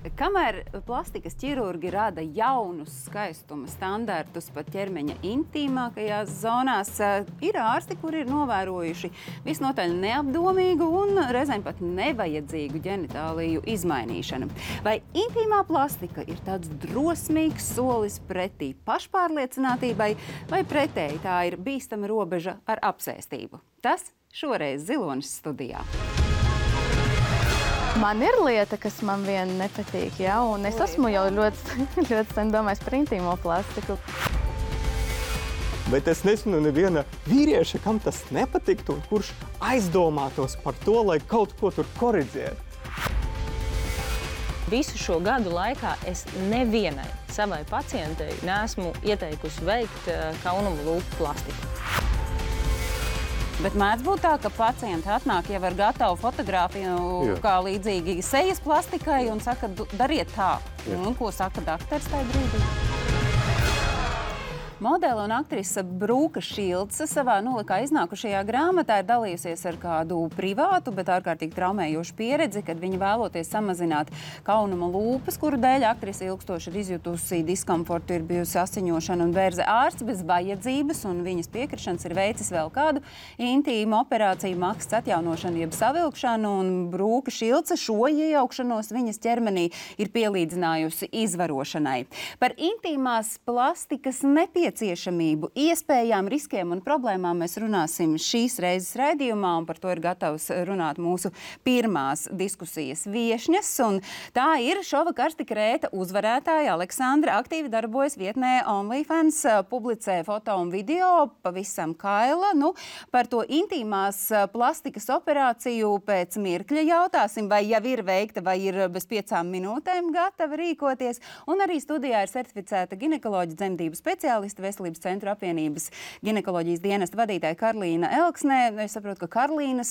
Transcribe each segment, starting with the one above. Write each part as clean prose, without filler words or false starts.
Kamēr plastikas ķirurgi rada jaunus skaistuma standartus pat ķermeņa intīmākajās zonās, ir ārsti, kuri ir novērojuši visnotaļ neapdomīgu un reizēm pat nevajadzīgu ģenitāliju izmainīšanu. Vai intīmā plastika ir tāds drosmīgs solis pretī pašpārliecinātībai, vai pretēji tā ir bīstama robeža ar apsēstību? Tas šoreiz Zilonis studijā. Man ir lieta, kas man vien nepatīk, ja, un es esmu jau ļoti sen domājis par intīmo plastiku. Bet es nezinu neviena vīrieša, kam tas nepatiktu, un kurš aizdomātos par to, lai kaut ko tur koriģētu. Visu šo gadu laikā es nevienai savai pacientei neesmu ieteikusi veikt kaunumu lūpu plastiku. Bet mēdz būt tā, ka pacienti atnāk jau ar gatavu fotogrāfiju, kā līdzīgi sejas plastikai, un saka, dariet tā. Un ko saka daktars tajā brīdī? Modele un aktrise Brūka Šilce savā nolikā iznākušajā grāmatā ir dalījusies ar kādu privātu, bet ārkārtīgi traumējošu pieredzi, kad viņa vēloties samazināt kaunuma lūpas, kuru dēļ aktrise ilgstoši ir izjutusi diskomfortu, ir bijusi asiņošana un bērze. Ārsts bez vajadzības un viņas piekrišanas ir veicis vēl kādu intīmu operāciju, maksas atjaunošanu jeb savilkšanu, un Brūka Šilce šo iejaukšanos viņas ķermenī ir pielīdzinājusi izvarošanai. Par intīmās plastikas nepieciešamību, iespējām, riskiem un problēmām mēs runāsim šīs reizes raidījumā, un par to ir gatavs runāt mūsu pirmās diskusijas viešņas. Un tā ir šova karsti krēta uzvarētāja Aleksandra, aktīvi darbojas vietnē OnlyFans, publicē foto un video, pavisam kaila. Par to intīmās plastikas operāciju pēc mirkļa jautāsim, vai jau ir veikta, vai ir bez 5 minūtēm gatava rīkoties. Un arī studijā ir certificēta ginekoloģa dzemdību speciāliste, Veselības centru apvienības ginekoloģijas dienesta vadītāja Karlīna Elksnē. Es saprotu, ka Karlīnas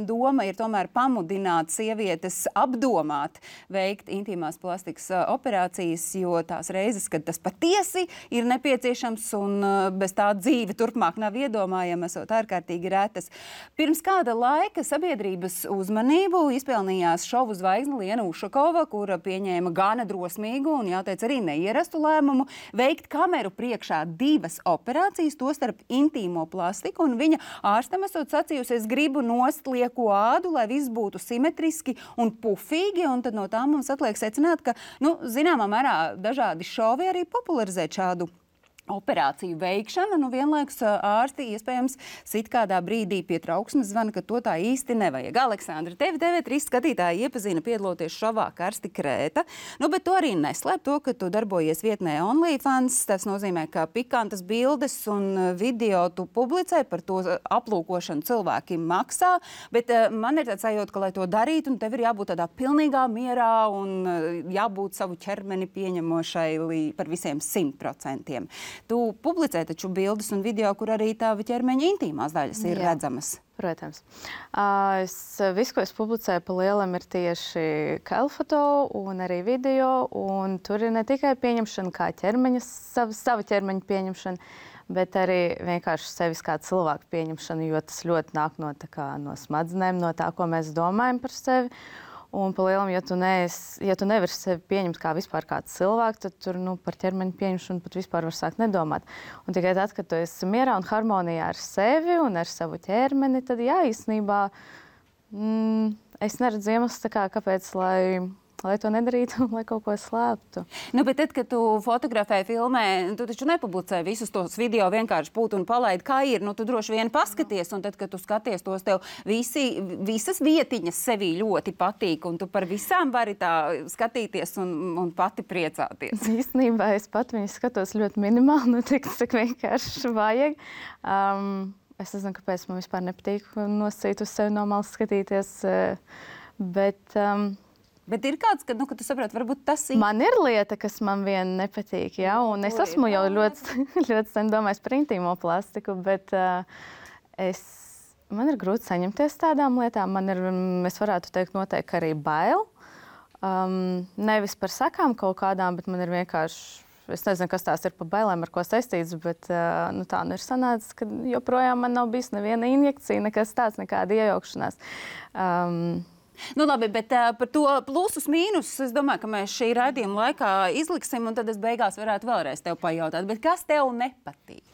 doma ir tomēr pamudināt sievietes apdomāt veikt intīmās plastikas operācijas, jo tās reizes, kad tas patiesi ir nepieciešams un bez tā dzīve turpmāk nav iedomājama, esot ārkārtīgi retas. Pirms kāda laika sabiedrības uzmanību izpelnījās šovu zvaigzne Liena Ušakova, kura pieņēma gana drosmīgu un, jāteic, arī neierastu lēmumu veikt kameru priekšā 2 operācijas, tostarp intīmo plastiku, un viņa ārstam esot sacījusi, es gribu nost lieko ādu, lai viss būtu simetriski un pufīgi, un tad no tā mums atliek secināt, ka, zināmā mērā dažādi šovi arī popularizēt šādu operāciju veikšana, vienlaikus ārsti iespējams sit kādā brīdī pie trauksmes zvana, ka to tā īsti nevajag. Aleksandra, tevi TV3 skatītāji iepazina piedaloties šovā karsti krēta, bet to arī neslēp to, ka tu darbojies vietnē OnlyFans. Tas nozīmē, ka pikantas bildes un video tu publicē, par to aplūkošanu cilvēki maksā, bet man ir tāds sajūta, ka, lai to darītu, un tev ir jābūt tādā pilnīgā mierā un jābūt savu ķermeni pieņemošai par visiem 100%. Tu publicē taču bildes un video, kur arī tava ķermeņa intīmās daļas ir redzamas. Protams. Visu, ko es publicēju pa lielam, ir tieši kailfoto un arī video, un tur ir ne tikai pieņemšana kā ķermeņa, sava ķermeņa pieņemšana, bet arī vienkārši sevis kā cilvēku pieņemšana, jo tas ļoti nāk no smadzenēm, no tā, ko mēs domājam par sevi. Un pa lielam, ja tu nevari sevi pieņemt kā vispār kāds cilvēks, tad tur par ķermeņa pieņemšanu pat vispār var sākt nedomāt. Un tikai tad, kad tu esi mierā un harmonijā ar sevi un ar savu ķermeni, tad jā, īstenībā es neredzu iemeslu, kāpēc, lai to nedarītu, lai kaut ko slēptu. Bet tad, kad tu fotografēji, filmē, tu taču nepublicē visus tos video vienkārši pūt un palaidi, kā ir. Tu droši vien paskaties, un tad, kad tu skaties tos, tev visas vietiņas sevī ļoti patīk, un tu par visām vari tā skatīties un pati priecāties. Īstenībā es pat viņus skatos ļoti minimāli, tik vienkārši vajag. Es nezinu, kāpēc man vispār nepatīk nosacīt uz sevi no malas skatīties, Bet ir kāds, ka tu saproti, varbūt tas ir. Man ir lieta, kas man vien nepatīk, ja, un es esmu jau ļoti sen domājis par intīmo plastiku, bet man ir grūti saņemties tādām lietām. Es varētu teikt noteikti arī bail. Nevis par sekām kaut kādām, bet man ir vienkārši, es nezinu, kas tās ir pa bailēm, ar ko saistīts, bet tā ir sanācis, ka joprojām man nav bijis neviena injekcija, nekas tāds, nekāda iejaukšanās. Nu, labi, bet par to plusus, mīnusus, es domāju, ka mēs šī raidījuma laikā izliksim, un tad es beigās varētu vēlreiz tev pajautāt. Bet kas tev nepatīk?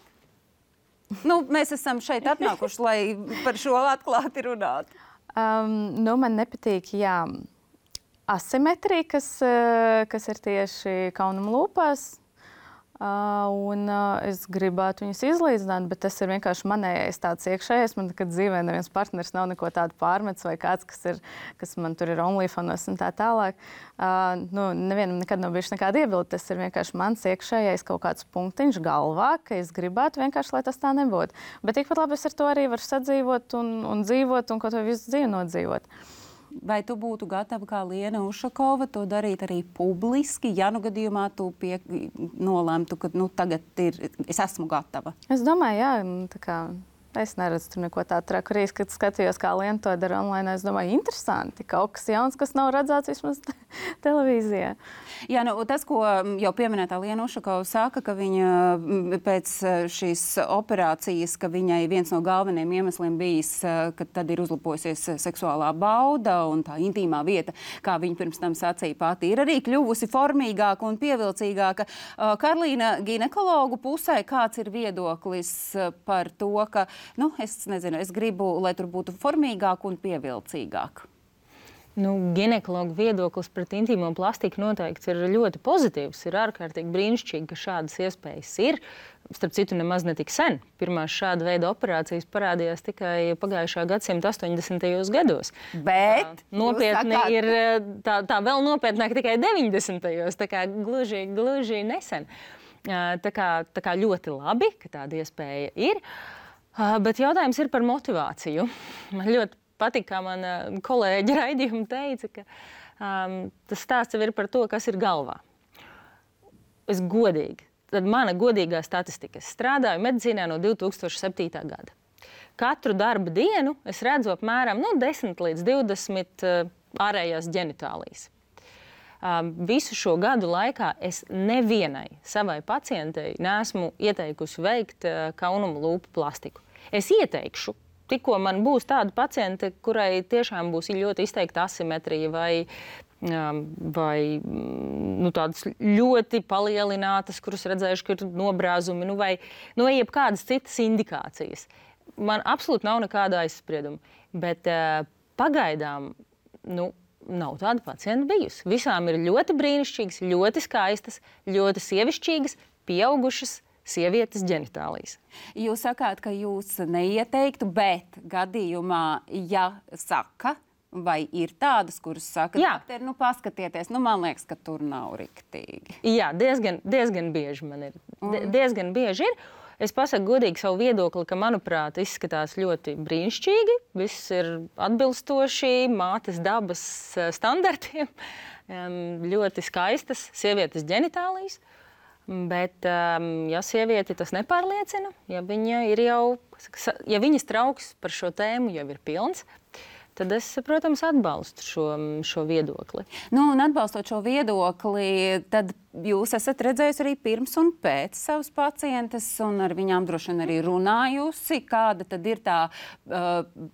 Nu, mēs esam šeit atnākuši, lai par šo atklāti runātu. Man nepatīk, asimetrija, kas ir tieši kaunuma lūpās. Es gribētu viņus izlīdzināt, bet tas ir vienkārši manējais tāds iekšējais. Man nekad dzīvē neviens partners nav neko tādu pārmets vai kāds, kas man tur ir OnlyFanos un tā tālāk. Nevienam nekad nav bijuši nekāda iebilde. Tas ir vienkārši mans iekšējais kaut kāds punktiņš galvā, ka es gribētu vienkārši, lai tas tā nebūtu. Bet tikpat labi es ar to arī varu sadzīvot un dzīvot un kaut ko visu dzīvi nodzīvot. Vai tu būtu gatava, kā Liena Ušakova, to darīt arī publiski, ja nu gadījumā tu nolēmtu, ka tagad es esmu gatava? Es domāju, tā kā es neredzu tur neko tādu traku. Arī, kad skatījos, kā Liena to dara online, es domāju, interesanti, kaut kas jauns, kas nav redzēts vismaz televīzijā. Jā, tas, ko jau pieminētā Liena Ušakova saka, ka viņa pēc šīs operācijas, ka viņai viens no galvenajiem iemesliem bijis, ka tad ir uzlabojusies seksuālā bauda un tā intīmā vieta, kā viņa pirms tam sacīja pati, ir arī kļuvusi formīgāka un pievilcīgāka. Karlīna, ginekologu pusē, kāds ir viedoklis par to, ka es nezinu, es gribu, lai tur būtu formīgāk un pievilcīgāk? Ginekologa viedoklis pret intīmo plastiku noteikti ir ļoti pozitīvs. Ir ārkārtīgi brīnišķīgi, ka šādas iespējas ir. Starp citu, nemaz ne tik sen. Pirmās šāda veida operācijas parādījās tikai pagājušā gadsimta 80. gados. Bet nopietni ir tā vēl nopietnāk tikai 90. Tā kā gluži nesen. Tā kā ļoti labi, ka tāda iespēja ir. Bet jautājums ir par motivāciju. Man ļoti patīk, kā mana kolēģa raidījuma teica, ka tas stāsts jau ir par to, kas ir galvā. Tad mana godīgā statistika. Es strādāju medicīnā no 2007. gada. Katru darba dienu es redzu apmēram 10 līdz 20 ārējās ģenitālijas. Visu šo gadu laikā es nevienai savai pacientei neesmu ieteikusi veikt kaunuma lūpu plastiku. Es ieteikšu, tikko man būs tāda paciente, kurai tiešām būs ļoti izteikta asimetrija vai tādas ļoti palielinātas, kuras redzējuši, ka ir nobrāzumi, vai jebkādas citas indikācijas. Man absolūti nav nekāda aizsprieduma, bet pagaidām nav tāda pacienta bijusi. Visām ir ļoti brīnišķīgas, ļoti skaistas, ļoti sievišķīgas, pieaugušas sievietes ģenitālijas. Jūs sakāt, ka jūs neieteiktu, bet gadījumā, ja saka, vai ir tādas, kuras saka, ka paskatieties, man liekas, ka tur nav riktīgi. Jā, diezgan bieži man ir. Diezgan bieži ir. Es pasaku godīgi savu viedokli, ka, manuprāt, izskatās ļoti brīnišķīgi. Viss ir atbilstoši mātes dabas standartiem. Ļoti skaistas sievietes ģenitālijas. Bet, ja sievieti tas nepārliecina, ja viņas trauks par šo tēmu jau ir pilns, tad es, protams, atbalstu šo viedokli. Un atbalstot šo viedokli, tad jūs esat redzējusi arī pirms un pēc savas pacientes, un ar viņām droši vien arī runājusi, kāda tad ir tā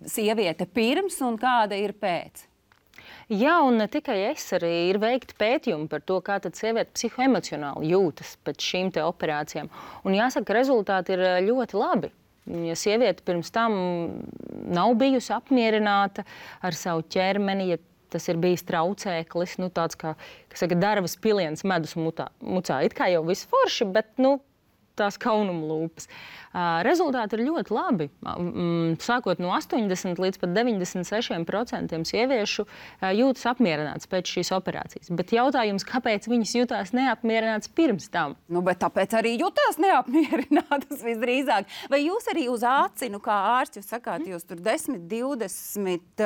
sieviete pirms un kāda ir pēc. Jā, un ne tikai es, arī ir veikti pētījumi par to, kā tad sieviete psihoemocionāli jūtas pēc šīm te operācijām. Un jāsaka, rezultāti ir ļoti labi. Ja sieviete pirms tam nav bijusi apmierināta ar savu ķermeni, ja tas ir bijis traucēklis, tāds kā, kas saka, darvas piliens medus mucā. It kā jau viss forši, bet, tās kaunuma lūpas. Rezultāti ir ļoti labi. Sākot no 80 līdz pat 96% sieviešu jūtas apmierināts pēc šīs operācijas. Bet jautājums, kāpēc viņas jutās neapmierināts pirms tam? Bet tāpēc arī jutās neapmierinātas visdrīzāk. Vai jūs arī uz aci, kā ārsts, jūs sakāt, jūs tur 10, 20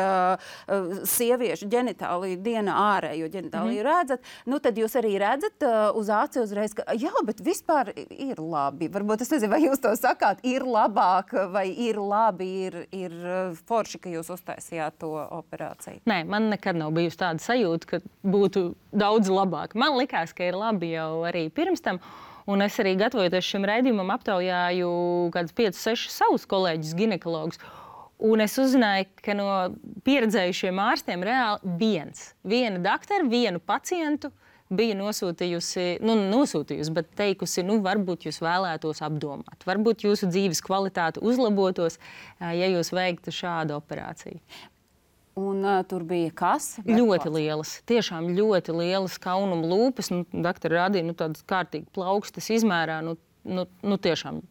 sieviešu ģenitāliju dienā ārējo ģenitāliju redzat, tad jūs arī redzat uz aci uzreiz, ka jā, bet vispār ir labi. Varbūt es nezinu, vai jūs to sakāt, ir labāk vai ir labi, ir forši, ka jūs uztaisījāt to operāciju? Nē, man nekad nav bijusi tāda sajūta, ka būtu daudz labāk. Man likās, ka ir labi jau arī pirms tam. Un es arī gatavojoties šim raidījumam aptaujāju kādus 5-6 savus kolēģus ginekologus. Un es uzzināju, ka no pieredzējušiem ārstiem reāli viena daktara, vienu pacientu bija nosūtījusi, bet teikusi, varbūt jūs vēlētos apdomāt. Varbūt jūsu dzīves kvalitāte uzlabotos, ja jūs veiktu šādu operāciju. Un tur bija kas? Ļoti lielas, tiešām ļoti lielas kaunuma lūpas. Daktori rādīja, tādas kārtīgi plaukstas izmērā, tiešām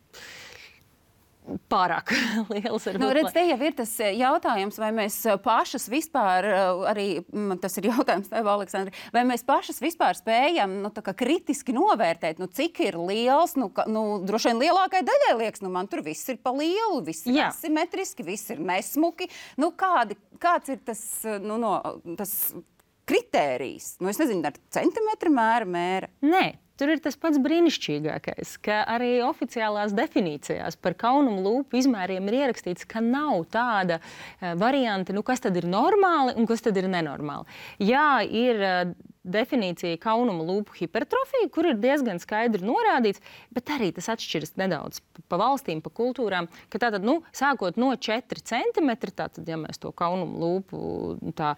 pārāk lielas. Redz, te jau ir tas jautājums, vai mēs pašas vispār, arī tas ir jautājums tev, Aleksandri, vai mēs pašas vispār spējam kritiski novērtēt, cik ir liels, droši vien lielākai daļai liekas, man tur viss ir pa lielu, viss ir asimetriski, viss ir nesmuki. Kāds ir tas, tas kritērijs? Es nezinu, ar centimetru mēra? Nē. Tur ir tas pats brīnišķīgākais, ka arī oficiālās definīcijās par kaunuma lūpu izmēriem ir ierakstīts, ka nav tāda varianta, kas tad ir normāli un kas tad ir nenormāli. Jā, ir definīcija kaunuma lūpu hipertrofija, kur ir diezgan skaidri norādīts, bet arī tas atšķiras nedaudz pa valstīm, pa kultūrām, ka tātad, sākot no 4 centimetri, tātad, ja mēs to kaunuma lūpu tā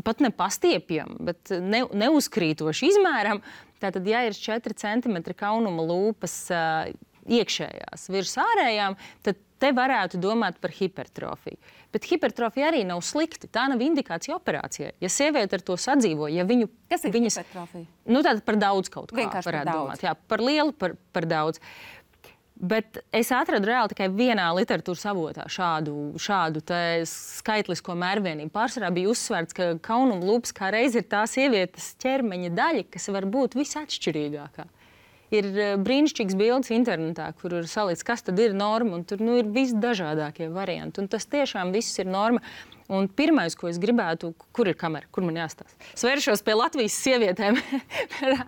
pat nepastiepjam, bet neuzkrītoši izmēram, tātad, ja ir 4 centimetri kaunuma lūpas iekšējās virs ārējām, tad te varētu domāt par hipertrofiju. Bet hipertrofija arī nav slikti. Tā nav indikācija operācijai. Ja sieviete ar to sadzīvo, ja viņu... Kas ir hipertrofija? Tātad par daudz kaut kā vienkārši varētu par domāt. Jā, par lielu, par daudz. Bet es atradu reāli tikai vienā literatūras avotā šādu skaitlisko mērvienību. Pārsvarā bija uzsvērts, ka kaunuma lūpas kā reiz ir tā sievietes ķermeņa daļa, kas var būt visatšķirīgākā. Ir brīnišķīgs bildes internetā, kur ir salikts, kas tad ir norma, un tur ir visdažādākie varianti. Un tas tiešām viss ir norma. Un pirmais, ko es gribētu, kur ir kamera, kur man jāstāsta? Es vēršos pie Latvijas sievietēm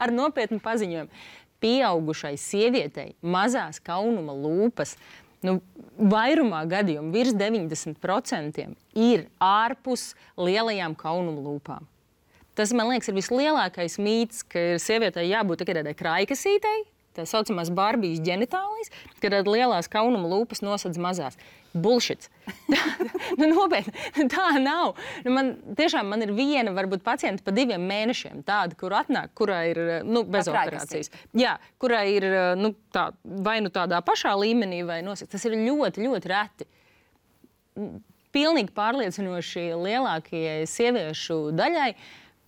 ar nopietnu paziņojumu. Pieaugušai sievietei mazās kaunuma lūpas, vairumā gadījumu virs 90% ir ārpus lielajām kaunuma lūpām. Tas, man liekas, ir vislielākais mīts, ka sievietei jābūt tikai tādai kraikasītei, tā saucamās Barbijas ģenitālijas, kad lielās kaunuma lūpas nosedz mazās. Bullshits. Nopietni, tā nav. Man ir viena, varbūt pacienta pa 2 mēnešiem tāda, kur atnāk, kurā ir bez operācijas. Jā, kurā ir vai tādā pašā līmenī, vai nosedz. Tas ir ļoti, ļoti reti. Pilnīgi pārliecinoši lielākajai sieviešu daļai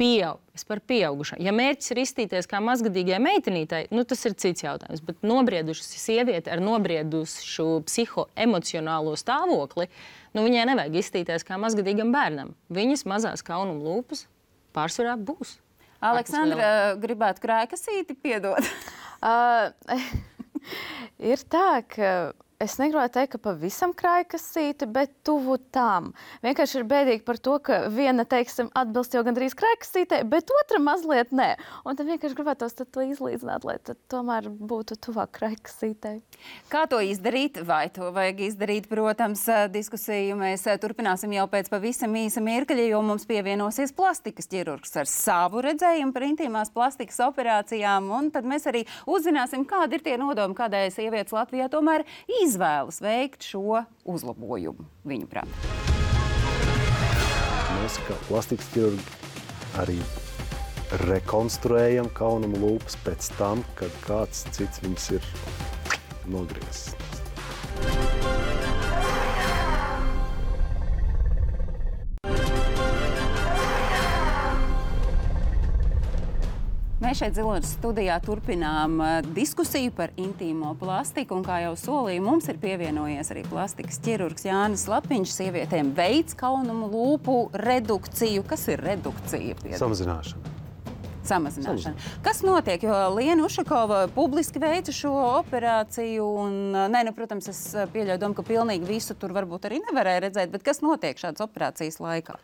es par pieaugušo. Ja mērķis ir izstīties kā mazgadīgai meitenītai, tas ir cits jautājums, bet nobrieduši sieviete ar nobriedušu psihoemocionālo stāvokli, viņai nevajag izstīties kā mazgadīgam bērnam. Viņas mazās kaunuma lūpas pārsvarā būs. Aleksandra, gribētu krēkasīti piedot? Ir tā, ka es negribētu teikt, ka pavisam krājkasīti, bet tuvu tam. Vienkārši ir bēdīgi par to, ka viena, teiksim, atbilst jau gandrīz krājkasītei, bet otra mazliet nē. Un tad vienkārši gribētos to izlīdzināt, lai tad tomēr būtu tuvāk krājkasītei. Kā to izdarīt? Vai to vajag izdarīt? Protams, diskusiju mēs turpināsim jau pēc pavisam īsa mirkļa, jo mums pievienosies plastikas ķirurgs ar savu redzējumu par intīmās plastikas operācijām. Un tad mēs arī uzzināsim, kādi ir tie nodomi, kādai sievietes Latvijā tomēr izvēlas veikt šo uzlabojumu viņu prāt. Mēs kā plastikas ķirurgi arī rekonstruējam kaunuma lūpas pēc tam, kad kāds cits viņas ir nogriezis. Mēs šeit Ziloņas studijā turpinām diskusiju par intīmo plastiku, un kā jau solīju, mums ir pievienojies arī plastikas ķirurgs Jānis Lapiņš. Sievietēm veids kaunumu lūpu redukciju. Kas ir redukcija? Samazināšana. Kas notiek? Jo Liena Ušakova publiski veica šo operāciju, un, protams, es pieļauju domu, ka pilnīgi visu tur varbūt arī nevarēja redzēt, bet kas notiek šādas operācijas laikā?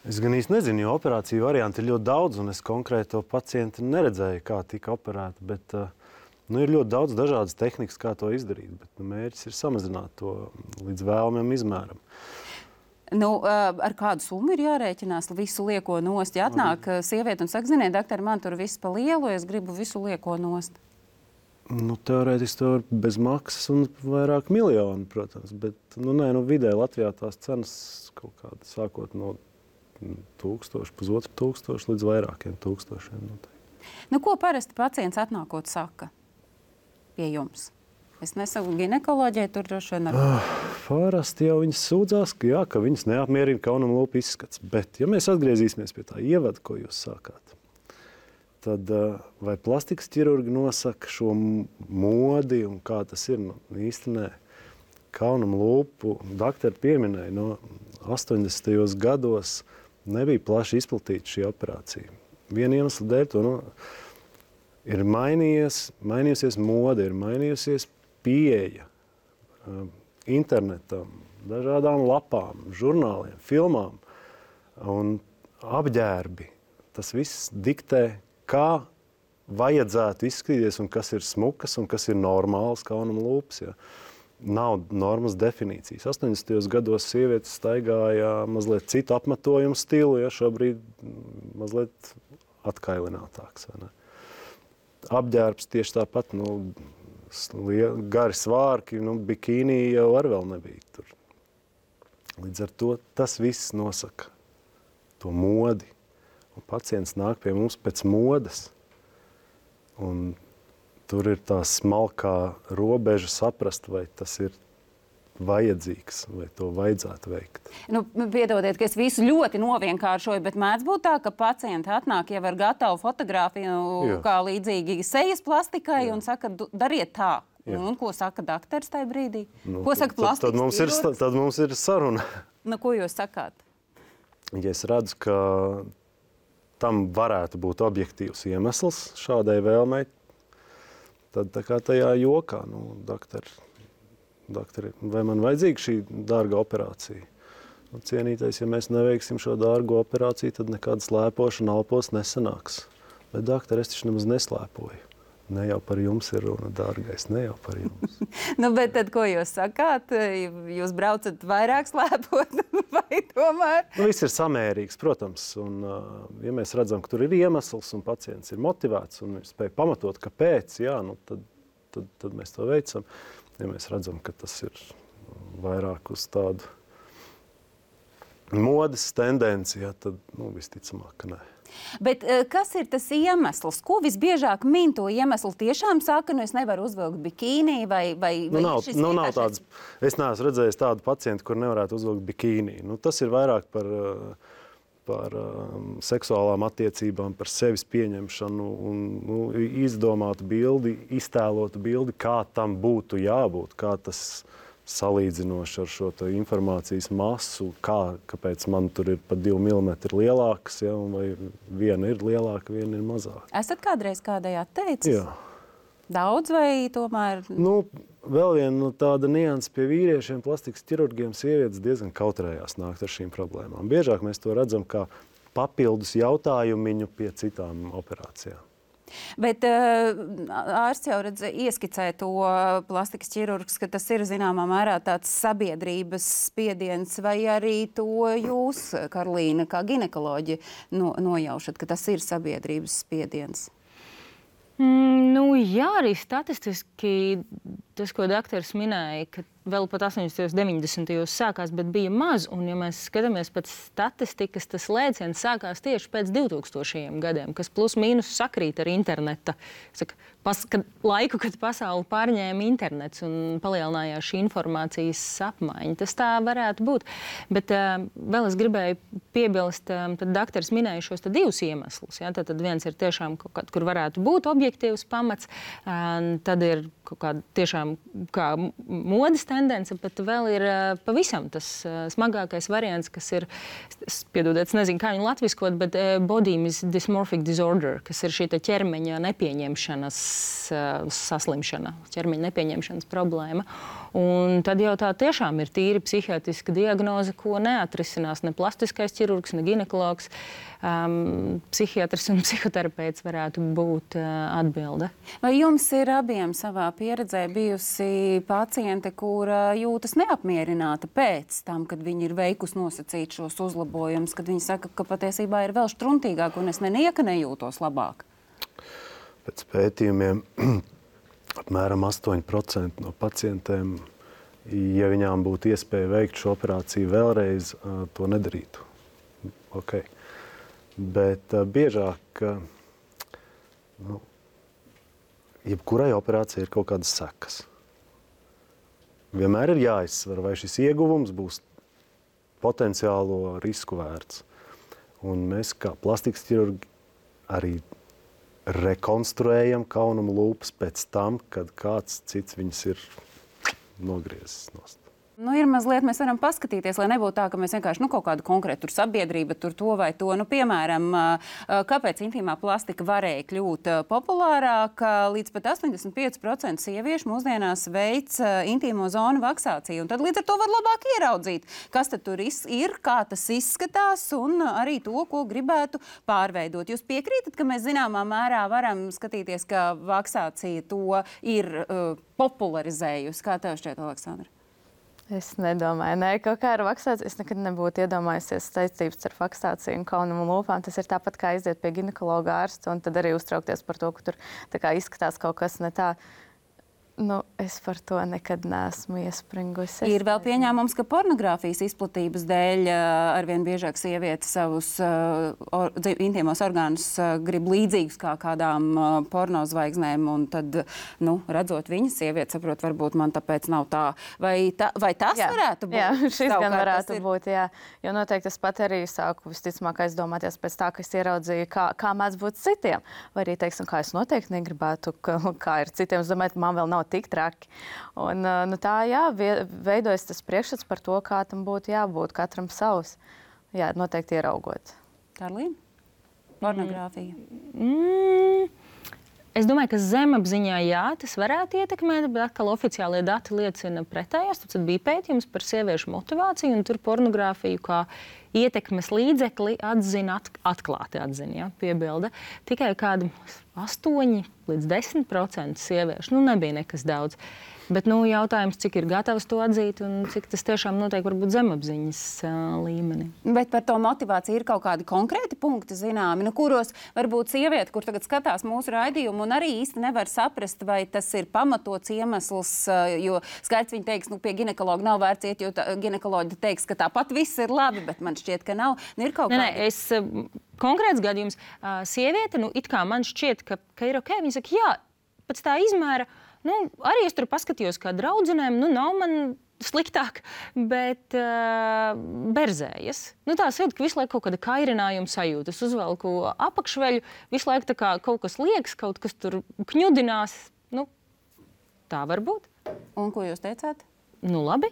Es gan īsti nezinu, jo operāciju varianti ir ļoti daudz, un es konkrēto pacientu neredzēju, kā tika operēta, bet ir ļoti daudz dažādas tehnikas, kā to izdarīt, bet mērķis ir samazināt to līdz vēlamiem izmēram. Ar kādu summu ir jārēķinās visu lieko nost? Ja atnāk sieviete un saka, ziniet, doktori, man tur viss pa lielu, es gribu visu lieko nost. Teorētiski to var bez maksas un vairāk miljonu, protams. Bet vidēji Latvijā tās cenas kaut kāda sākot no 1000, 1500 līdz vairākiem tūkstošiem. Ko parasti pacients atnākot saka pie jums? Es nesaku ginekoloģijai, tur droši vien Parasti jau viņas sūdzās, ka viņas neapmierina kaunuma lūpu izskats. Bet, ja mēs atgriezīsimies pie tā ievada, ko jūs sākāt, tad vai plastikas ķirurgi nosaka šo modi un kā tas ir? Īsti nē. Kaunuma lūpu doktori pieminēja, no 80. gados nebija plaši izplatīta šī operācija. Viena iemesla dēļ to ir mainījusies mode, ir mainījusies pieeja internetam, dažādām lapām, žurnāliem, filmām un apģērbi. Tas viss diktē, kā vajadzētu izskatīties un kas ir smukas un kas ir normāls kaunuma lūpas. Ja. Nav normas definīcijas. 80. gados sievietes staigāja mazliet citu apmetojumu stilu, ja šobrīd mazliet atkailinātāks. Apģērbs tieši tāpat, gari svārki, bikīnī jau vēl nebija tur. Līdz ar to tas viss nosaka to modi. Un pacients nāk pie mums pēc modes. Un tur ir tā smalkā robeža saprast, vai tas ir vajadzīgs, vai to vajadzētu veikt. Piedodiet, ka es visu ļoti novienkāršoju, bet mēdz būt tā, ka pacienti atnāk jau ar gatavu fotogrāfiju, kā līdzīgi sejas plastikai, un saka, dariet tā. Un ko saka doktors tajā brīdī? Ko saka plastikas ķirurgs? Tad mums ir saruna. Ko jūs sakāt? Ja es redzu, ka tam varētu būt objektīvs iemesls šādai vēlmei, tad tā kā tajā jokā, doktori, vai man vajadzīga šī dārga operācija? Cienītais, ja mēs neveiksim šo dārgo operāciju, tad nekāda slēpošana alpos nesanāks. Bet, doktori, es taču nemaz neslēpoju. Ne jau par jums ir runa, dārgais, ne jau par jums. Bet tad, ko jūs sakāt? Jūs braucat vairāk slēpot vai tomēr? Viss ir samērīgs, protams. Un, ja mēs redzam, ka tur ir iemesls un pacients ir motivēts un spēj pamatot, kāpēc, tad mēs to veicam. Ja mēs redzam, ka tas ir vairāk uz tādu modes tendenci, tad visticamāk, ka nē. Bet kas ir tas iemesls? Ko visbiežāk min to iemeslu? Tiešām saka, es nevaru uzvilkt bikīnī vai nav tāds. Es neesmu redzējis tādu pacientu, kur nevarētu uzvilkt bikīnī. Tas ir vairāk par seksuālām attiecībām, par sevis pieņemšanu un izdomātu bildi, iztēlotu bildi, kā tam būtu jābūt, kā tas salīdzinoši ar šo informācijas masu, kāpēc man tur ir pat 2 mm lielākas, vai viena ir lielāka, viena ir mazāka. Esat kādreiz kādai atteicis? Jā. Daudz vai tomēr? Vēl viena tāda nianse pie vīriešiem, plastikas ķirurgiem, sievietes diezgan kautrējās nākt ar šīm problēmām. Biežāk mēs to redzam kā papildus jautājumiņu pie citām operācijām. Bet ārsts jau ieskicē to plastikas ķirurgs, ka tas ir zināmā mērā tāds sabiedrības spiediens, vai arī to jūs, Karolīna, kā ginekoloģi, nojaušat, ka tas ir sabiedrības spiediens? Jā, arī statistiski tas, ko doktors minēja, ka vēl pat 80. 90. sākās, bet bija maz. Un, ja mēs skatāmies pēc statistikas, tas lēciens sākās tieši pēc 2000. gadiem, kas plus mīnus sakrīt ar interneta laiku, kad pasauli pārņēma internets un palielinājās šī informācijas apmaiņa. Tas tā varētu būt. Bet vēl es gribēju piebilst, tad doktors minēja šos divus iemeslus. Ja? Tad viens ir tiešām kaut kāds, kur varētu būt objektīvs pamats, tad ir kaut kāda tiešām kā modes tendence, bet vēl ir pavisam tas smagākais variants, kas ir, piedodiet, es nezinu, kā viņu latviskot, bet body dysmorphic disorder, kas ir šī ķermeņa nepieņemšanas saslimšana, ķermeņa nepieņemšanas problēma. Un tad jau tā tiešām ir tīri psihiatriska diagnoze, ko neatrisinās ne plastiskais ķirurgs, ne ginekologs. Psihiatrs un psihoterapeits varētu būt atbilde. Vai jums ir abiem savā pieredzē bijusi paciente, kura jūtas neapmierināta pēc tam, kad viņi ir veikusi nosacīt šos uzlabojumus, kad viņi saka, ka patiesībā ir vēl štruntīgāk un es nenieka nejūtos labāk? Pēc pētījumiem apmēram 8% no pacientiem, ja viņām būtu iespēja veikt šo operāciju vēlreiz, to nedarītu. Okay. Bet biežāk, jebkurai operācijai ir kaut kādas sekas. Vienmēr ir jāizsver, vai šis ieguvums būs potenciālo risku vērts. Un mēs kā plastikas ķirurgi arī rekonstruējam kaunumu lūpas pēc tam, kad kāds cits viņas ir nogriezis nost. Ir mazliet, mēs varam paskatīties, lai nebūtu tā, ka mēs vienkārši kaut kādu konkrētu sabiedrību tur to vai to. Piemēram, kāpēc intīmā plastika varēja kļūt populārāka? Līdz pat 85% sieviešu mūsdienās veic intīmo zonu vaksāciju. Un tad līdz ar to var labāk ieraudzīt, kas tad tur ir, kā tas izskatās un arī to, ko gribētu pārveidot. Jūs piekrītat, ka mēs zināmā mērā varam skatīties, ka vaksācija to ir popularizējusi? Kā tev šķiet, Aleksandra? Es nedomāju, kaut kā ar vaksāciju. Es nekad nebūtu iedomājusies saistības ar vaksāciju un kaunumu lūpām. Tas ir tāpat kā aiziet pie ginekologa ārsta un tad arī uztraukties par to, ka tur tā kā izskatās kaut kas ne tā. Es par to nekad neesmu iespringusi. Ir vēl pieņēmums, ka pornogrāfijas izplatības dēļ arvien biežāk sievietes savus intīmos orgānus grib līdzīgus kā kādām pornozvaigznēm, un tad, redzot viņas, sieviete saprot, varbūt man tāpēc nav tā. Vai tas varētu būt? Jā, šis gan varētu būt, jā. Jo noteikti es pat arī sāku visticamāk aizdomāties pēc tā, ka es ieraudzīju, kā mēdz būt citiem. Vai arī, teiksim, kā es noteikti negribētu, kā ir citiem. Es domāju, man vēl nav tik traki. Un, tā, veidojas tas priekšstats par to, kā tam būtu jābūt, katram savs. Jā, noteikti ieraugot. Karlīna? Pornogrāfija? Es domāju, ka zemapziņā tas varētu ietekmēt, bet atkal oficiālie dati liecina pretējās. Tad bija pētījums par sieviešu motivāciju, un tur pornogrāfiju kā ietekmes līdzekli atklāti atzina, piebilda. Tikai kādi 8 līdz 10% sieviešu. Nebija nekas daudz. Bet jautājums, cik ir gatavs to atzīt un cik tas tiešām notiek varbūt zemapziņas līmenī. Bet par to motivāciju ir kaut kādi konkrēti punkti zināmi, kuros varbūt sieviete, kur tagad skatās mūsu raidījumu un arī īsti nevar saprast, vai tas ir pamatots iemesls, jo skaidrs viņi teiks, pie ginekologa nav vērts iet, jo ginekoloģi teiks, ka tāpat viss ir labi, bet man šķiet, ka nav. Ir kaut kādi... Konkrēts gadījums, sieviete, it kā man šķiet, ka ir ok, viņa saka, jā, pēc tā izmēra, arī es tur paskatījos kā draudzenēm, nav man sliktāk, bet berzējas. Tā sajūta, ka visu laiku kaut kāda kairinājuma sajūta. Es uzvelku apakšveļu, visu laiku tā kā kaut kas liekas, kaut kas tur kņudinās. Tā var būt. Un ko jūs teicāt? Labi.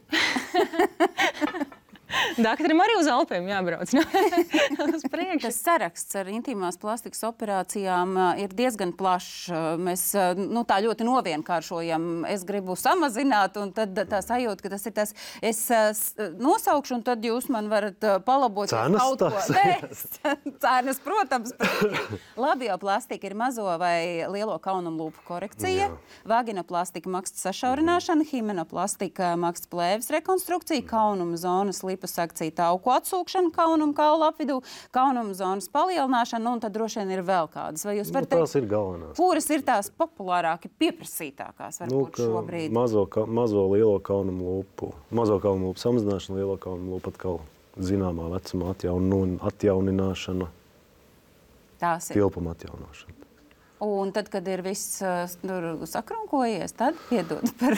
Daktarim arī uz Alpēm jābrauc. Uz priekšu. Tas saraksts ar intīmās plastikas operācijām ir diezgan plašs. Mēs tā ļoti novienkāršojam. Es gribu samazināt, un tad tā sajūta, ka tas ir tas. Es nosaukšu, un tad jūs man varat palabot. Cenas, protams. Labioplastika ir mazo vai lielo kaunumu lūpu korekcija. Vaginoplastika maksas sašaurināšana, himenoplastika maksas plēves rekonstrukcija, kaunuma zonas liposakcija, tauku atsūkšana, kaunuma kaula apvidū, kaunuma zonas palielināšana, un tad droši vien ir vēl kādas. Vai jūs varat teikt, tās ir galvenās. Kuras ir tās populārāki, pieprasītākās varbūt šobrīd? Mazo lielo kaunumu lūpu, mazo kaunumu lūpu samazināšana, lielo kaunumu lūpu atkal zināmā vecuma atjaunināšana, tilpuma atjaunošana. Un tad, kad ir viss sakrunkojies, tad piedod par...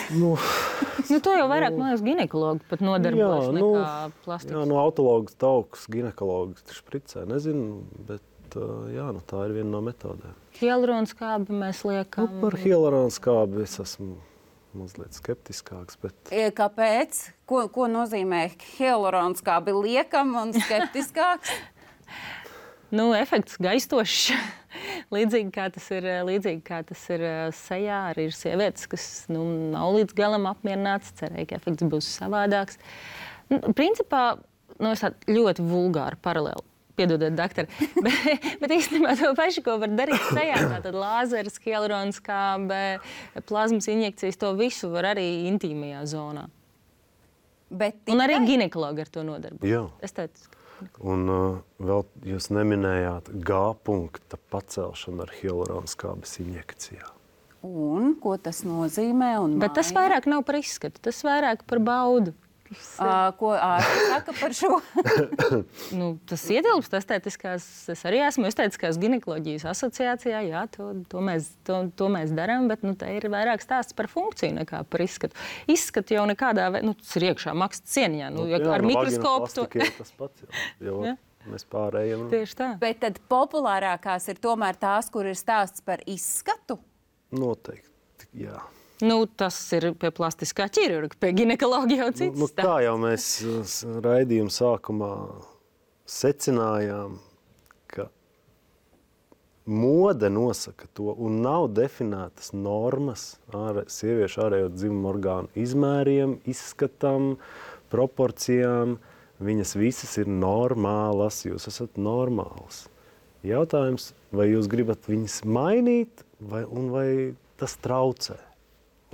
To jau vairāk, man liekas, ginekologi pat nodarbojas nekā plastikas. Autologs, tauks, ginekologs špricē, nezinu, bet tā ir viena no metodēm. Hialuronskābi mēs liekam. Par hialuronskābi es esmu mazliet skeptiskāks, bet... Kāpēc? Ko nozīmē hialuronskābi liekam un skeptiskāks? Efekts gaistošs. Līdzīgi kā tas ir sejā, arī ir sievietes, kas nav līdz galam apmierināts, cerēja, ka efekts būs savādāks. Principā, es tādu ļoti vulgāru paralēli, piedodiet, daktari, bet īstenībā to pašu, ko var darīt sejā, tātad lāzeris, hialuronskābe, plazmas injekcijas, to visu var arī intīmajā zonā. Un arī ginekologi ar to nodarbojas. Jā. Estētiski. Un vēl jūs neminējāt G punkta pacelšanu ar hialuronskābes injekcijā. Un ko tas nozīmē? Bet tas vairāk nav par izskatu, tas vairāk par baudu. Ko ārsti saka par šo? Tas ietilpst estētiskās, es arī esmu estētiskās ginekoloģijas asociācijā, jā, to mēs darām, bet te ir vairāk stāsts par funkciju nekā par izskatu. Izskatu jau nekādā veidā, tas ir iekšā maksas cieniņā, ar mikroskopu. Tas pats jau. Mēs pārējām. Tieši tā. Bet tad populārākās ir tomēr tās, kur ir stāsts par izskatu? Noteikti, jā. Tas ir pie plastiskā ķirurga, pie ginekoloģija jau cits. Kā jau mēs raidījuma sākumā secinājām, ka mode nosaka to un nav definētas normas sieviešu ārējo dzimumu orgānu izmēriem, izskatam, proporcijām. Viņas visas ir normālas, jūs esat normāls. Jautājums, vai jūs gribat viņas mainīt, vai tas traucē?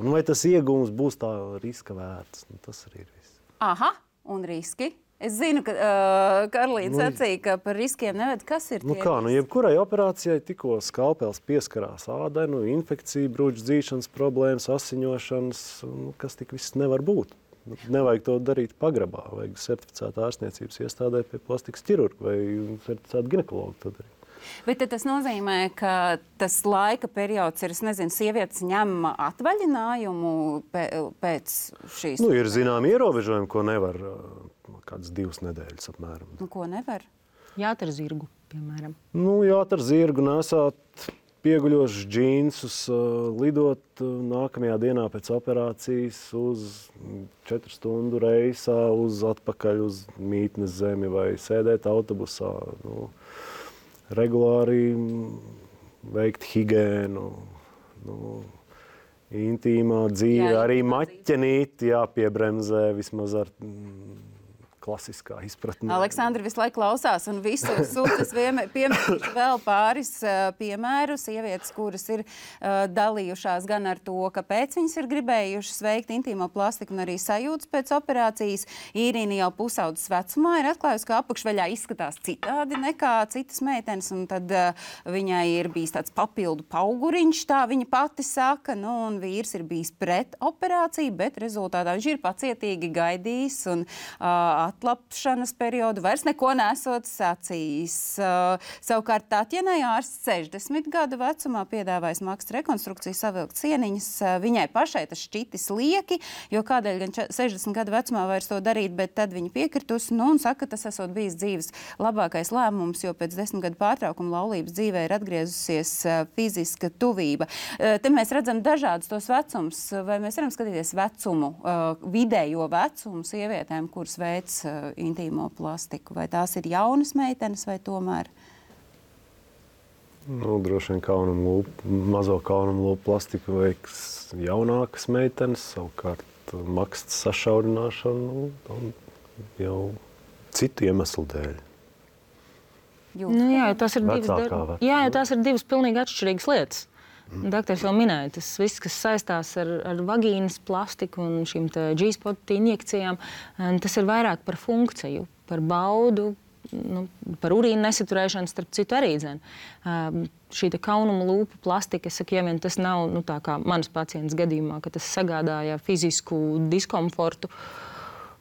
Un vai tas iegūms būs tā riska vērts? Tas arī ir viss. Aha, un riski? Es zinu, ka Karolīna sacīja, ka par riskiem neved. Kas ir tie riski? Jebkurai operācijai tikko skalpels pieskarās ādai, infekcija, brūču dzīšanas problēmas, asiņošanas, kas tik viss nevar būt. Nevajag to darīt pagrabā, vajag certificētā ārstniecības iestādē pie plastikas ķirurga vai certificēta ginekologa to darīt. Bet tas nozīmē, ka tas laika periods ir, sievietes ņem atvaļinājumu pēc šīs... Ir zinām ierobežojumi, ko nevar kādas 2 nedēļas apmēram. Ko nevar? Jāt ar zirgu, piemēram. Jāt ar zirgu, nesāt pieguļošus džīnsus, lidot nākamajā dienā pēc operācijas uz 4 stundu reisā, atpakaļ uz mītnes zemi vai sēdēt autobusā. Regulāri veikt higiēnu, intīmā dzīve, arī maķenīti jāpiebremzē vismaz ar klasiskā izpratnē. Aleksandra visu laiku klausās un visus sūtas piemērīšu vēl pāris piemēru. Sievietes, kuras ir dalījušās gan ar to, kāpēc viņas ir gribējušas veikt intīmo plastiku un arī sajūtas pēc operācijas. Īrīna jau pusaudzes vecumā ir atklājusi, ka apakšveļā izskatās citādi nekā citas meitenes, un tad viņai ir bijis tāds papildu pauguriņš, tā viņa pati saka, un vīrs ir bijis pret operāciju, bet rezultātā viņš ir pacietīgi gaidījis un atlapšanas periodu vairs neko nesot sacījis. Savukārt Tatjanai ārsts 60 gadu vecumā piedāvājis maksas rekonstrukciju, savilkt sieniņas. Viņai pašai tas šķitis lieki, jo kādēļ gan 60 gadu vecumā vairs to darīt, bet tad viņa piekritus, un saka, tas esot bijis dzīves labākais lēmums, jo pēc 10 gadu pārtraukuma laulības dzīvē ir atgriezusies fiziska tuvība. Te mēs redzam dažādus tos vecums, vai mēs varam skatīties vecumu, vidējo vecumu sievietēm, kuras veic intīmo plastiku. Vai tās ir jaunas meitenes vai tomēr? Droši vien mazo kaunumu lūpu plastiku veiks jaunākas meitenes, savukārt maksas sašaurināšanu jau citu iemeslu dēļ. Tās ir divas pilnīgi atšķirīgas lietas. Doktors jau minēja, tas viss, kas saistās ar vagīnas plastiku un šīm G-spot injekcijām, tas ir vairāk par funkciju, par baudu, par urīnu nesaturēšanu, starp citu arī dzen. Šī kaunuma lūpu plastika, es saku, ja vien tas nav, tā kā manas pacients gadījumā, ka tas sagādāja fizisku diskomfortu,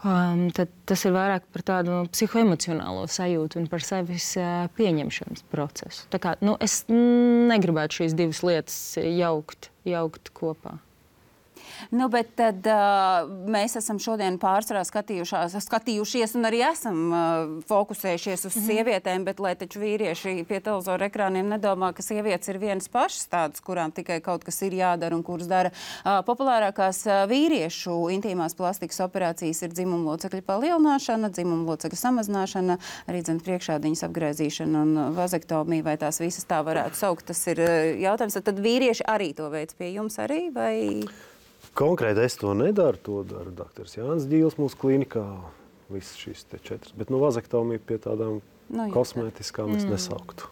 tad tas ir vairāk par tādu psihoemocionālo sajūtu un par sevis pieņemšanas procesu. Tā kā, es negribētu šīs divas lietas jaukt kopā. Bet tad mēs esam šodien pārsvarā skatījušies un arī esam fokusējušies uz sievietēm, bet lai taču vīrieši pie televizora ekrāniem nedomā, ka sievietes ir vienas pašas tādas, kurām tikai kaut kas ir jādara un kuras dara. Populārākās vīriešu intīmās plastikas operācijas ir dzimumlocekļu palielināšana, dzimumlocekļu samazināšana, arī priekšādiņas apgriezīšana un vazektomija, vai tās visas tā varētu saukt. Tas ir jautājums. Tad vīrieši arī to veic pie jums arī, vai... Konkrēti es to nedaru, to dara doktors Jānis Ģīls mūsu klīnikā, visas šīs 4, bet vazektomiju pie tādām kosmētiskām es nesauktu.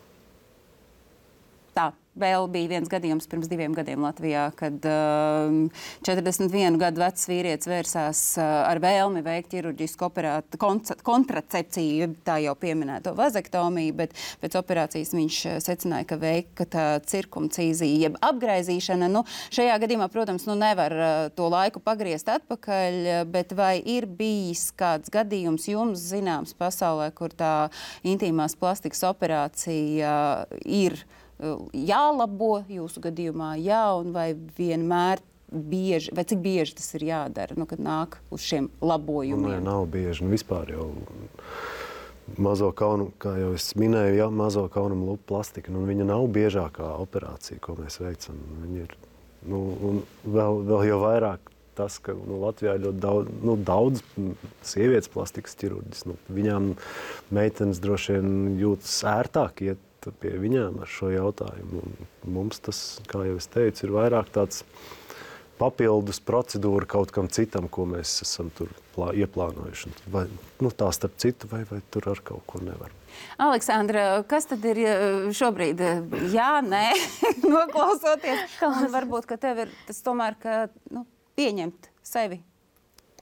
Tā, vēl bija viens gadījums pirms 2 gadiem Latvijā, kad 41 gadu vecs vīrietis vērsās ar vēlmi veikt ķirurģisku kontracepciju, tā jau pieminēto vazektomiju, bet pēc operācijas viņš secināja, ka veikta cirkumcīzija, jeb apgraizīšana. Nu, šajā gadījumā, protams, nevar to laiku pagriezt atpakaļ, bet vai ir bijis kāds gadījums jums zināms pasaulē, kur tā intīmās plastikas operācija ir jālabo jūsu gadījumā, un vai vienmēr bieži, vai cik bieži tas ir jādara, kad nāk uz šiem labojumiem? Nē, nav bieži. Vispār jau mazo kaunumu, kā jau es minēju, mazo kaunumu lupu plastika, viņa nav biežākā operācija, ko mēs veicam. Viņa ir, un vēl jau vairāk tas, ka Latvijā ir ļoti daudz sievietes plastikas ķirurģis. Viņām meitenes droši vien jūtas ērtāk iet pie viņām ar šo jautājumu. Mums tas, kā jau es teicu, ir vairāk tāds papildus procedūra kaut kam citam, ko mēs esam tur ieplānojuši. Vai tā starp citu, vai tur ar kaut ko nevar. Aleksandra, kas tad ir šobrīd? Jā, nē, noklausoties. Un varbūt, ka tev ir tas tomēr, ka pieņemt sevi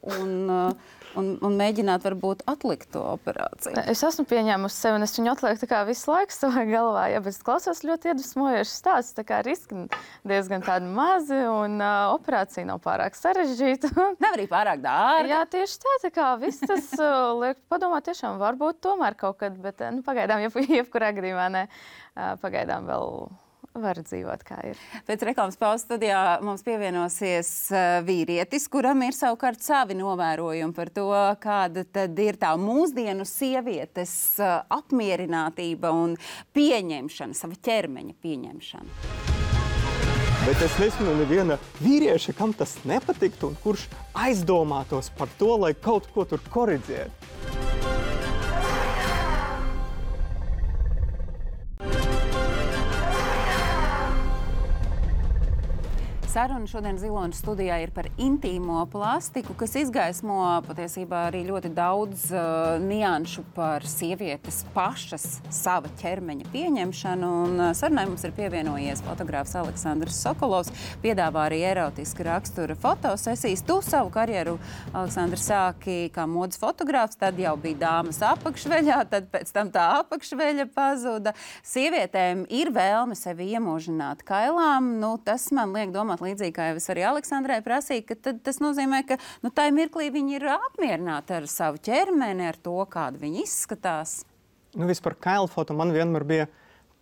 un mēģināt varbūt atlikt to operāciju. Es esmu pieņēmusi sevi, un es viņu atlieku tā kā visu laiku savā galvā. Ja, bet es klausos ļoti iedvesmojoši stāsts, tā kā riski diezgan tādi mazi, un operācija nav pārāk sarežģīta. Nav arī pārāk dārga. Jā, tieši tā kā viss tas liek padomāt, tiešām varbūt tomēr kaut kad, bet pagaidām, jebkurā gadījumā ne, pagaidām vēl var dzīvot, kā ir. Pēc reklāmas pauzes studijā mums pievienosies vīrietis, kuram ir savukārt savi novērojumi par to, kāda tad ir tā mūsdienu sievietes apmierinātība un pieņemšana, sava ķermeņa pieņemšana. Bet es nezinu neviena vīrieša, kam tas nepatiktu un kurš aizdomātos par to, lai kaut ko tur koriģētu. Saruna šodien Ziloņas studijā ir par intīmo plastiku, kas izgaismo patiesībā arī ļoti daudz nianšu par sievietes pašas sava ķermeņa pieņemšanu. Un sarunai mums ir pievienojies fotogrāfs Aleksandrs Sokolovs, piedāvā arī erotiska rakstura fotosesijas. Tu savu karjeru, Aleksandrs, sāki kā modes fotogrāfs, tad jau bija dāmas apakšveļā, tad pēc tam tā apakšveļa pazuda. Sievietēm ir vēlme sevi iemūžināt kailām. Tas man liek domāt līdzīgi, kā jau es arī Aleksandrai prasīju, ka tas nozīmē, ka tā mirklī viņi ir apmierināti ar savu ķermeni, ar to, kāda viņi izskatās. Vispār kailfoto man vienmēr bija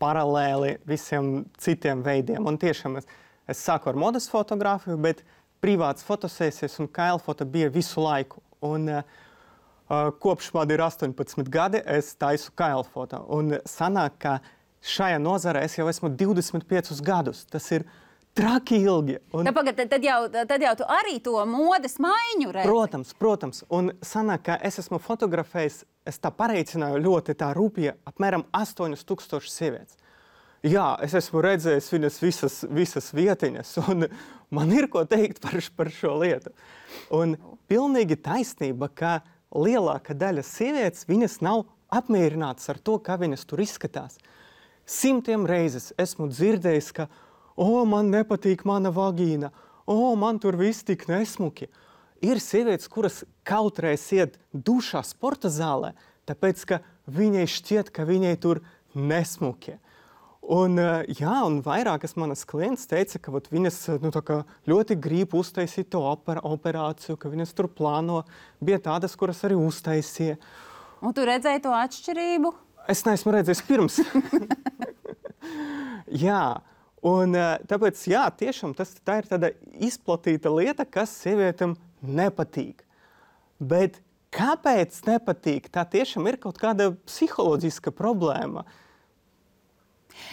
paralēli visiem citiem veidiem. Un tiešām es sāku ar modes fotogrāfiju, bet privātas fotosesijas un kailfoto bija visu laiku. Un kopš man ir 18 gadi, es taisu kailfoto. Un sanāk, ka šajā nozarē es jau esmu 25 gadus. Tas ir traki ilgi. Tad jau tu arī to modes maiņu redzi. Protams. Un sanāk, ka es esmu fotografējis, es tā pareicināju ļoti tā rūpīgi, apmēram 8000 sievietes. Jā, es esmu redzējis viņas visas vietiņas, un man ir ko teikt par šo lietu. Un pilnīgi taisnība, ka lielākā daļa sievietes, viņas nav apmierinātas ar to, kā viņas tur izskatās. 100 reizes esmu dzirdējis, ka man nepatīk mana vagīna, man tur viss tik nesmuki. Ir sievietes, kuras kautreiz iet dušā sporta zālē, tāpēc, ka viņai šķiet, ka viņai tur nesmuki. Un vairākas manas klientes teica, ka viņas ļoti grib uztaisīt to operāciju, ka viņas tur plāno. Bija tādas, kuras arī uztaisīja. Un tu redzēji to atšķirību? Es neesmu redzējis pirms. Jā. Un tāpēc, tiešām tā ir tāda izplatīta lieta, kas sievietēm nepatīk. Bet kāpēc nepatīk? Tā tiešām ir kaut kāda psiholoģiska problēma.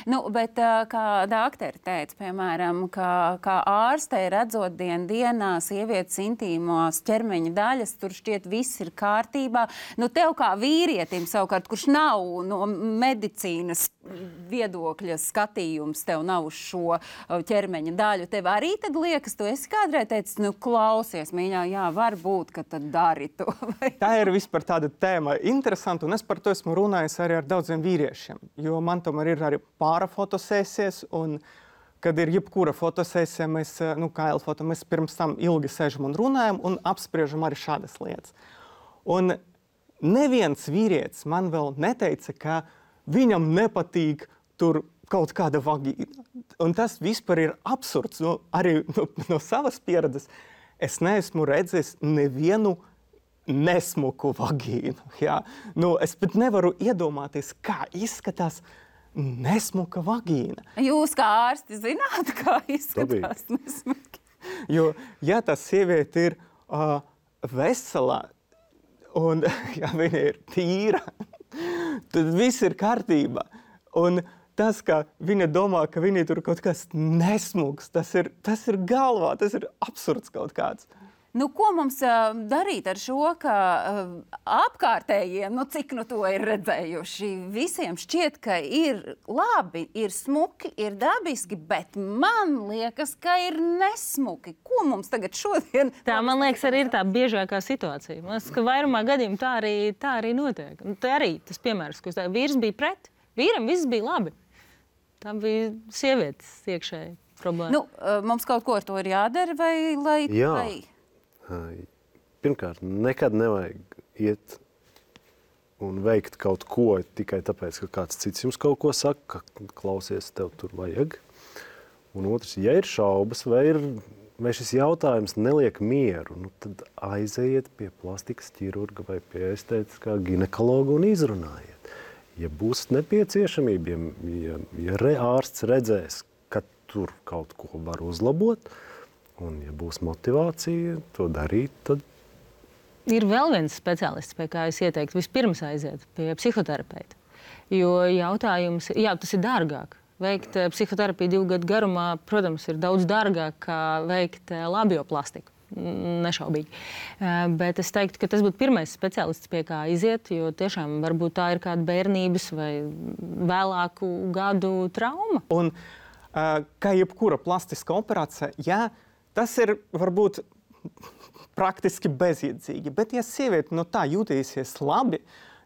Bet kā dakteri teica, piemēram, kā ārstei redzot dienā sievietes intīmās ķermeņa daļas, tur šķiet viss ir kārtībā. Tev kā vīrietim savukārt, kurš nav no medicīnas viedokļa skatījums, tev nav uz šo ķermeņa daļu, tev arī tad liekas, tu esi kādreiz teicis, klausies, mīļā, varbūt, ka tad dari to. Tā ir vispār tāda tēma interesanta, un es par to esmu runājis arī ar daudziem vīriešiem, jo man tomēr ir arī pāra fotosesijas, un kad ir jebkura fotosesija, mēs, kā Elfoto, mēs pirms tam ilgi sēžam un runājam un apspriežam arī šādas lietas. Un neviens vīrietis man vēl neteica, ka viņam nepatīk tur kaut kāda vagīna. Un tas vispār ir absurds. Arī no savas pieredzes es neesmu redzējis nevienu nesmuku vagīnu. Ja? Es pat nevaru iedomāties, kā izskatās nesmuka vagīna. Jūs kā ārsti zināt, kā izskatās nesmuki? Jo, ja tā sieviete ir vesela un ja viņa ir tīra, tad viss ir kārtībā. Un tas, ka viņa domā, ka viņa tur kaut kas nesmuks, tas ir galvā, tas ir absurds kaut kāds. Ko mums darīt ar šo, ka apkārtējiem, cik to ir redzējuši, visiem šķiet, ka ir labi, ir smuki, ir dabiski, bet man liekas, ka ir nesmuki. Ko mums tagad šodien? Tā, man liekas, arī ir tā biežākā situācija. Man liekas, ka vairumā gadījumu tā arī notiek. Tā arī tas piemērs, ko vīrs bija pret, vīram viss bija labi. Tā bija sievietes iekšēji problēma. Mums kaut ko ar to ir jādara vai Jā. Pirmkārt, nekad nevajag iet un veikt kaut ko tikai tāpēc, ka kāds cits jums kaut ko saka, ka klausies, tev tur vajag. Un otrs, ja ir šaubas vai šis jautājums neliek mieru, tad aizejiet pie plastikas ķirurga vai pie estētiskā ginekologa un izrunājiet. Ja būs nepieciešamība, ja ārsts redzēs, ka tur kaut ko var uzlabot, un ja būs motivācija to darīt, tad... Ir vēl viens speciālists, pie kā es ieteiktu vispirms aiziet pie psihoterapeita. Jo jautājums, tas ir dārgāk. Veikt psihoterapiju 2 gadu garumā, protams, ir daudz dārgāk kā veikt labioplastiku. Nešaubīgi. Bet es teiktu, ka tas būtu pirmais speciālists, pie kā iziet, jo tiešām varbūt tā ir kāda bērnības vai vēlāku gadu trauma. Un kā jebkura plastiska operācija, tas ir varbūt praktiski bezjēdzīgi, bet ja sieviete tā jūtīsies labi,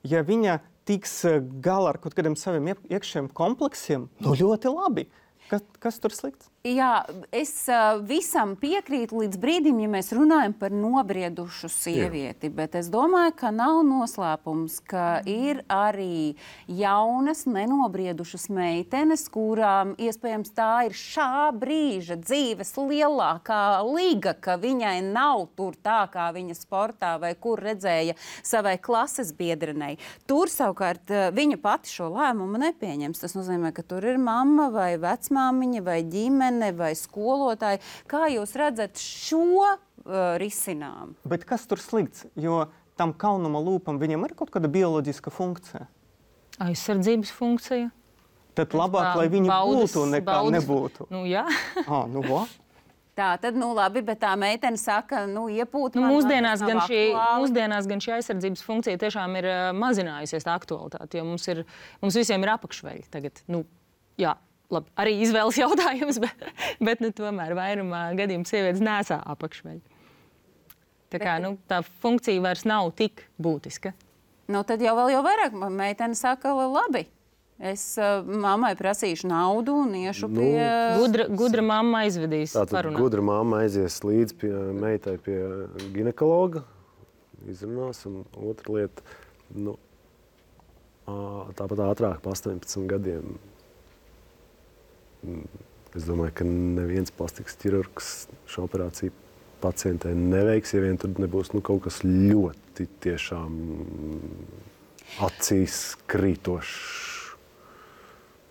ja viņa tiks galā ar kaut kādiem saviem iekšējiem kompleksiem, ļoti labi. Kas tur slikts? Jā, es visam piekrītu līdz brīdim, ja mēs runājam par nobriedušu sievieti, bet es domāju, ka nav noslēpums, ka ir arī jaunas, nenobriedušas meitenes, kurām iespējams tā ir šā brīža dzīves lielākā liga, ka viņai nav tur tā, kā viņa sportā vai kur redzēja savai klases biedrenei. Tur savukārt viņa pati šo lēmumu nepieņems. Tas nozīmē, ka tur ir mamma vai vecmāmiņa vai ģimene vai skolotāji. Kā jūs redzat šo risinājumu? Bet kas tur slikts? Jo tam kaunuma lūpam viņam ir kaut kāda bioloģiska funkcija. Aizsardzības funkcija. Tad labāk, lai viņi būtu nekā nebūtu. Jā. Tā tad, labi, bet tā meitene saka, iepūt man. Mūsdienās gan šī aizsardzības funkcija tiešām ir mazinājusies tā aktualitāte, jo mums visiem ir apakšveļi tagad. Jā. Labi, arī izvēles jautājums, bet tomēr vairumā gadījumu sievietes nesā apakšveļu. Tā kā tā funkcija vairs nav tik būtiska. Tad jau vairāk meitene saka, labi, es mammai prasīšu naudu un iešu pie... Gudra mamma aizvedīs parunāt. Gudra mamma aizies līdz meitai pie ginekologa, izrunās, un otra lieta, tāpat ātrāk pa 18 gadiem. Es domāju, ka neviens plastikas ķirurgs šo operāciju pacientē neveiks, ja vien tur nebūs kaut kas ļoti tiešām acīs krītošs.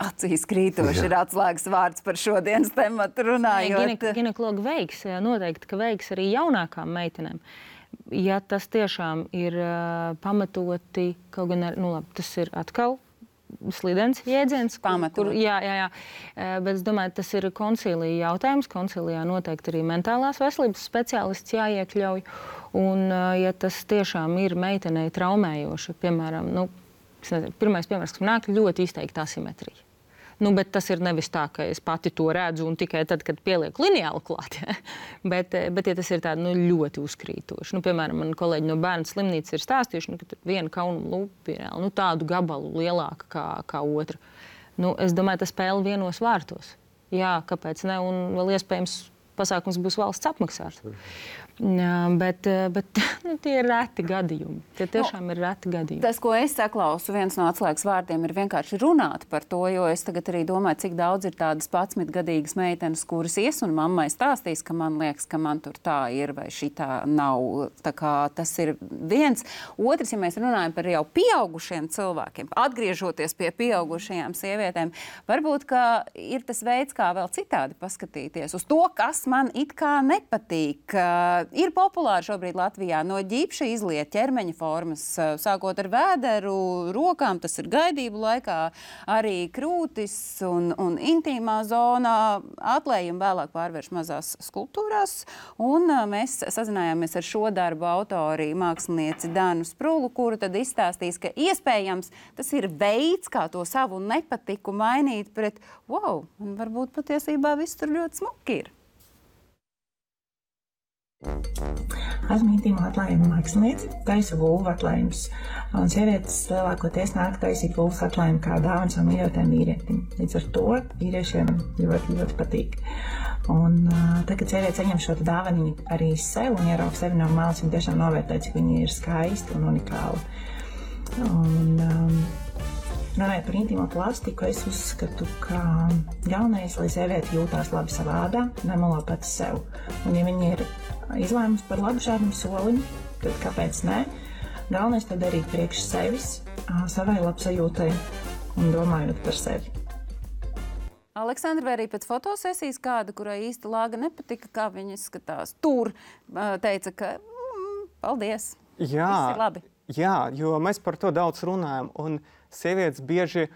Acīs krītoši ir atslēgas vārds par šodienas tematu runājot. Ginekologi veiks, noteikti, ka veiks arī jaunākām meitenēm. Ja tas tiešām ir pamatoti, kaut gan tas ir atkal slidens jēdziens. Pamatot. Jā. Bet es domāju, tas ir koncīlija jautājums. Koncīlijā noteikti arī mentālās veselības speciālists jāiekļauj. Un, ja tas tiešām ir meitenei traumējoši, piemēram, pirmais piemērs, kas man nāk, ļoti izteikta asimetrija. Bet tas ir nevis tā, ka es pati to redzu un tikai tad, kad pielieku lineāli klāt. Ja? Bet ja tas ir tādi ļoti uzkrītoši. Piemēram, man kolēģi no bērnu slimnīcas ir stāstījuši, ka viena kaunuma lūpa ir tādu gabalu lielāka kā otra. Es domāju, tas spēle vienos vārtos. Jā, kāpēc ne? Un vēl iespējams pasākums būs valsts apmaksāts. Bet tie ir reti gadījumi. Tie tiešām ir reti gadījumi. Tas, ko es saklausu, viens no atslēgas vārdiem ir vienkārši runāt par to, jo es tagad arī domāju, cik daudz ir tādas 11-gadīgas meitenes, kuras ies un mammai stāstīs, ka man liekas, ka man tur tā ir vai šitā nav. Tā kā tas ir viens. Otrs, ja mēs runājam par jau pieaugušiem cilvēkiem, atgriežoties pie pieaugušajām sievietēm, varbūt, ka ir tas veids, kā vēl citādi paskatīties uz to, kas man it kā nepatīk. Ir populāri šobrīd Latvijā no ģipša izliet ķermeņa formas, sākot ar vēderu, rokām, tas ir gaidību laikā, arī krūtis un intīmā zonā, atlējumi vēlāk pārvērš mazās skulptūrās, un mēs sazinājāmies ar šo darbu autori, mākslinieci Danu Sprulu, kuru tad izstāstīs, ka iespējams tas ir veids, kā to savu nepatiku mainīt pret, wow, un varbūt patiesībā viss tur ļoti smuki ir. Esmu intīmo atklājumu mākslinieci, taisu vulvu atklājumus. Un sievietes lielākoties nāk taisīt vulvas atklājumu kā dāvanu savam mīļotajam vīrietim. Līdz ar to vīriešiem ļoti, ļoti patīk. Un tad, kad sieviete saņem šo dāvanu arī sev un ierauga sevi no malas, viņa tiešām novērtē, cik viņa ir skaista un unikāla. Runājot par intīmo plastiku, es uzskatu, ka galvenais, lai sieviete jūtās labi savā ādā, nemelo pati sev. Un ja viņa ir izlēmusi par labu šādam solim, tad kāpēc ne? Galvenais to darīt priekš sevis, savai labsajūtai un domājot par sevi. Aleksandra, vai arī pēc fotosesijas kāda, kurai īsti lāga nepatika, kā viņa izskatās tur, teica, ka paldies, viss ir labi. Jā, jo mēs par to daudz runājam, un sievietes bieži,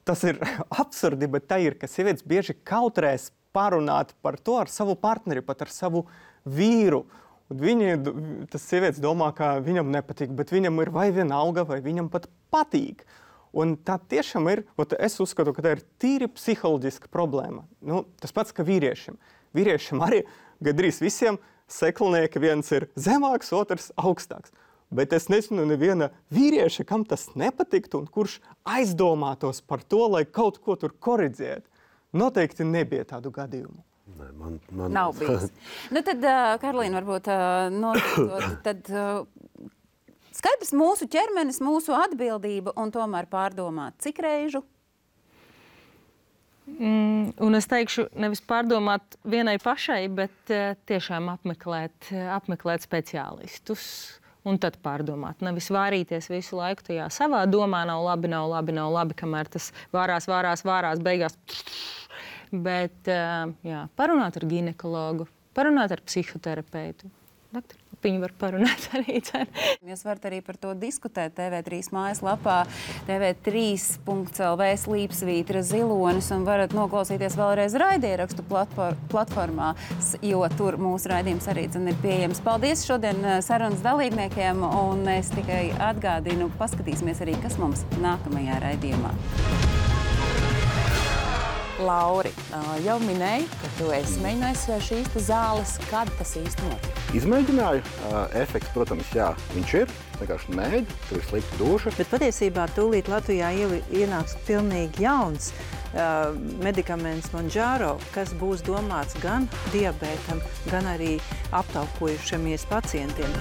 tas ir absurdi, bet tā ir, ka sievietes bieži kautrēs parunāt par to ar savu partneri, pat ar savu vīru. Un tas sievietes domā, ka viņam nepatīk, bet viņam ir vai vienalga, vai viņam pat patīk. Un tā tiešām ir, es uzskatu, ka tā ir tīri psiholoģiska problēma. Tas pats, ka vīriešiem. Vīriešiem arī gandrīz visiem seklinieki, viens ir zemāks, otrs augstāks. Bet es nezinu neviena vīrieša, kam tas nepatiktu un kurš aizdomātos par to, lai kaut ko tur koriģētu. Noteikti nebija tādu gadījumu. Man... Nav bijis. Tad, Karolīna, varbūt tad skaidrs mūsu ķermenis, mūsu atbildība un tomēr pārdomāt, cik reižu? Un es teikšu, nevis pārdomāt vienai pašai, bet tiešām apmeklēt speciālistus. Un tad pārdomāt. Nevis vārīties visu laiku tajā savā domā, nav labi, kamēr tas vārās, beigās. Bet parunāt ar ginekologu, parunāt ar psihoterapeitu. Viņi var parunāt arī. Jūs varat arī par to diskutēt TV3 mājaslapā, tv3.lv/Slīpsvītra zilonis un varat noklausīties vēlreiz raidierakstu platformā, jo tur mūsu raidījums arī ir pieejams. Paldies šodien sarunas dalībniekiem un es tikai atgādinu, paskatīsimies arī, kas mums nākamajā raidījumā. Lauri, jau minēju, ka tu esi mēģinājis šīs zāles. Kad tas īsti notika? Izmēģināju. Efekts, protams, jā, viņš ir. Vienkārši mēģi, tur ir slikta duša. Bet patiesībā tūlīt Latvijā ienāks pilnīgi jauns medikaments Mounjaro, kas būs domāts gan diabētam, gan arī aptaukojušamies pacientiem.